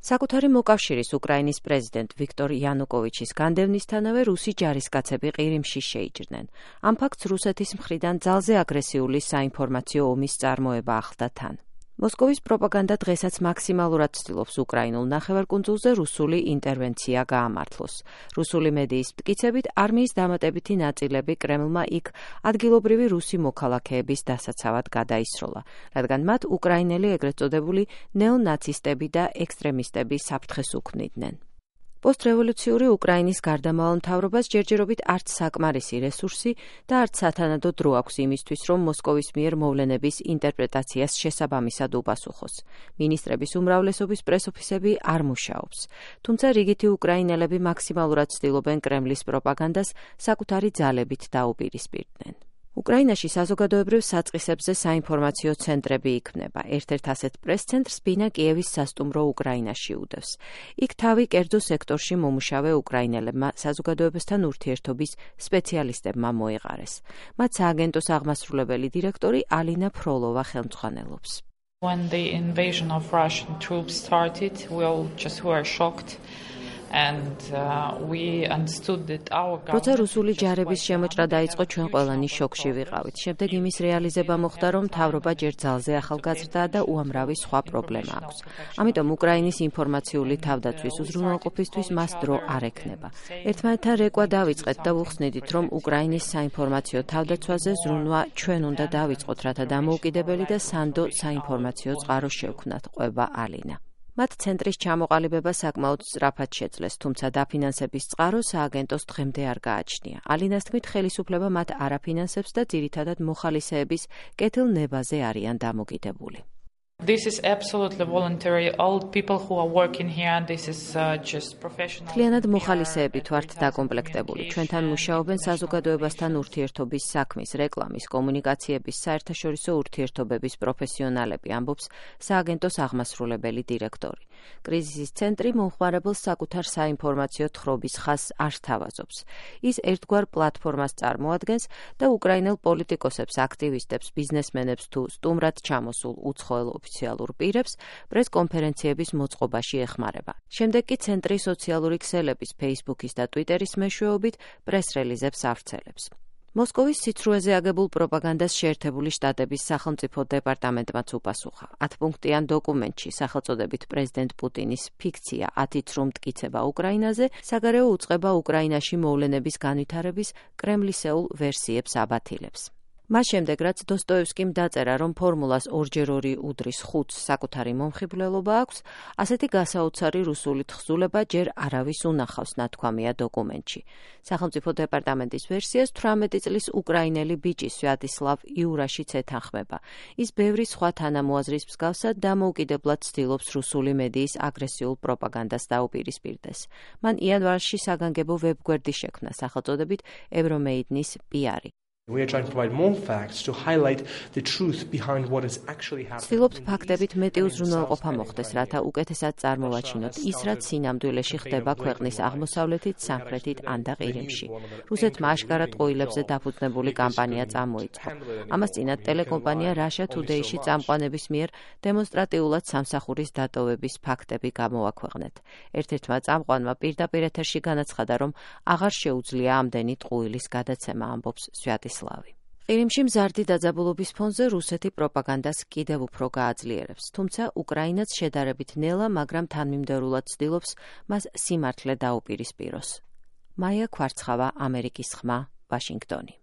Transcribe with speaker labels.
Speaker 1: საკუთარი მოკავშირის უკრაინის პრეზიდენტ ვიქტორ იანუკოვიჩის განდევნისთანავე რუსი ჯარისკაცები ყირიმში შეიჭრნენ. ამ ფაქტს რუსეთის მხრიდან ძალზე აგრესიული საინფორმაციო ომის წარმოება ახლდა თან. მოსკოვის პროპაგანდა დღესაც მაქსიმალურად ცდილობს უკრაინულ ნახევარკუნძულზე რუსული ინტერვენცია გაამართლოს. რუსული მედიის მტკიცებით, არმიის დამატებითი ნაწილები კრემლმა იქ ადგილობრივი რუსი მოქალაქეების დასაცავად გადაისროლა, რადგან მათ უკრაინელი ეგრეთ წოდებული ნეონაცისტები და ექსტრემისტები საფრთხეს უქმნიდნენ. პოსტრევოლუციური უკრაინის გარდამავალ მთავრობას ჯერჯერობით არც საკმარისი რესურსი და არც სათანადო დრო აქვს იმისთვის, რომ მოსკოვის მიერ მოვლენების ინტერპრეტაციას შესაბამისად უპასუხოს. მინისტრების უმრავლესობის პრესოფისები არ მუშაობს. თუმცა რიგითი უკრაინელები მაქსიმალურად ცდილობენ კრემლის პროპაგანდას საკუთარი ძალებით დაუპირისპირდნენ. უკრაინაში საზოგადოებრივ საწყისებზე საინფორმაციო ცენტრები იქმნება. ერთ-ერთ ასეთ პრეს-ცენტრს ბინა კიევის სასტუმრო უკრაინაში უდევს. იქ თავი კერძო სექტორში მომუშავე უკრაინელებმა საზოგადოებასთან ურთიერთობის სპეციალისტებმა მოიყარეს. მათ სააგენტოს აღმასრულებელი დირექტორი ალინა ფროლოვა ხელმძღვანელობს.
Speaker 2: When the invasion of Russian troops started, we all just were shocked.
Speaker 1: როცა რუსული ჯარების შემოჭრა დაიწყო, ჩვენ ყველანი შოკში ვიყავით. შემდეგ იმის რეალიზება მოხდა, რომ მთავრობა ჯერ ძალზე ახალგაზრდაა და უამრავი სხვა პრობლემა აქვს. ამიტომ უკრაინის ინფორმაციული თავდაცვის უზრუნველყოფისთვის მას დრო არ ექნება. ერთმანეთთან რეკვა დავიწყეთ და ვუხსნიდით, რომ უკრაინის საინფორმაციო თავდაცვაზე ზრუნვა ჩვენ უნდა დავიწყოთ, რათა დამოუკიდებელი და სანდო საინფორმაციო წყარო შევქმნათ, ყვება ალინა. მათ ცენტრის ჩამოყალიბება საკმაოდ სწრაფად შეძლეს, თუმცა დაფინანსების წყარო სააგენტოს დღემდე არ გააჩნია. ალინას თქმით, ხელისუფლება მათ არ აფინანსებს და ძირითადად მოხალისეების კეთილნებაზე არიან დამოკიდებული.
Speaker 2: This is absolutely voluntary. All people who are working here, this is just professional.
Speaker 1: Თლიანად მოხალისეებით ვართ დაკომპლექტებული. ჩვენთან მუშაობენ საზოგადოებასთან ურთიერთობის საქმის, რეკლამის, კომუნიკაციების, საერთაშორისო ურთიერთობების პროფესიონალები, ამბობს სააგენტოს აღმასრულებელი დირექტორი. კრიზისის ცენტრი მომხმარებელს საკუთარ საინფორმაციო თხრობის ხაზს არ სთავაზობს. ის ერთგვარ პლატფორმას წარმოადგენს და უკრაინელ პოლიტიკოსებს, აქტივისტებს, ბიზნესმენებს თუ სტუმრად ჩამოსულ უცხოელ ოფიციალურ პირებს პრეს-კონფერენციების მოწყობაში ეხმარება. შემდეგ კი ცენტრი სოციალური ქსელების, Facebook-ის და Twitter-ის მეშვეობით პრეს-რელიზებს ავრცელებს. მოსკოვის სიცრუეზე აგებულ პროპაგანდას შეერთებული შტატების სახელმწიფო დეპარტამენტმაც უპასუხა. 10-პუნქტიან დოკუმენტში სახელწოდებით პრეზიდენტ პუტინის ფიქცია 10 ცრუ მტკიცება უკრაინაზე საგარეო უწყება უკრაინაში მოვლენების განვითარების კრემლისეულ ვერსიებს აბათილებს. მას შემდეგ, რაც დოსტოევსკიმ დაწერა, რომ ფორმულას 2x2 უდრის 5-ს საკუთარი მომხიბვლელობა აქვს, ასეთი გასაოცარი რუსული თხზულება ჯერ არავის უნახავს, ნათქვამია დოკუმენტში. სახელმწიფო დეპარტამენტის ვერსიას 18 წლის უკრაინელი ბიჭი სვიატისლავ იურაშიც ეთანხმება. ის ბევრი სხვა თანამოაზრის მსგავსად დამოუკიდებლად ცდილობს რუსული მედიის აგრესიულ პროპაგანდას დაუპირისპირდეს. მან იანვარში საგანგებო ვებგვერდი შექმნა სახელწოდებით ევრომეიდნის PR.
Speaker 3: We are trying to provide more facts to highlight the truth behind what is actually happening.
Speaker 1: Ცდილობთ ფაქტებით მეტი უზრუნველყოფა მოხდეს, რათა უკეთესად წარმოვაჩინოთ ის, რაც სინამდვილეში ხდება ქვეყნის აღმოსავლეთით, სამხრეთით ან და ყირიმში. რუსეთმა აშკარად ყოილებზე დაფუძნებული კამპანია წამოიწყო. ამას წინათ ტელეკომპანია Russia Today-ში წამყვანების მიერ დემონსტრატიულად სამსახურის დატოვების ფაქტები გამოაქვეყნეთ. ერთ-ერთმა წამყვანმა პირდაპირ ეთერში განაცხადა, რომ აღარ შეუძლია ამდენი ტყუილის გადაცემა, ამბობს სვიატისლავი. ყირიმში მზარდი დაძაბულობის ფონზე რუსეთი პროპაგანდას კიდევ უფრო გააძლიერებს, თუმცა უკრაინაც შედარებით ნელა, მაგრამ თანმიმდევრულად ცდილობს მას სიმართლე დაუპირისპიროს. მაია ქვარცხავა, ამერიკის ხმა, ვაშინგტონი.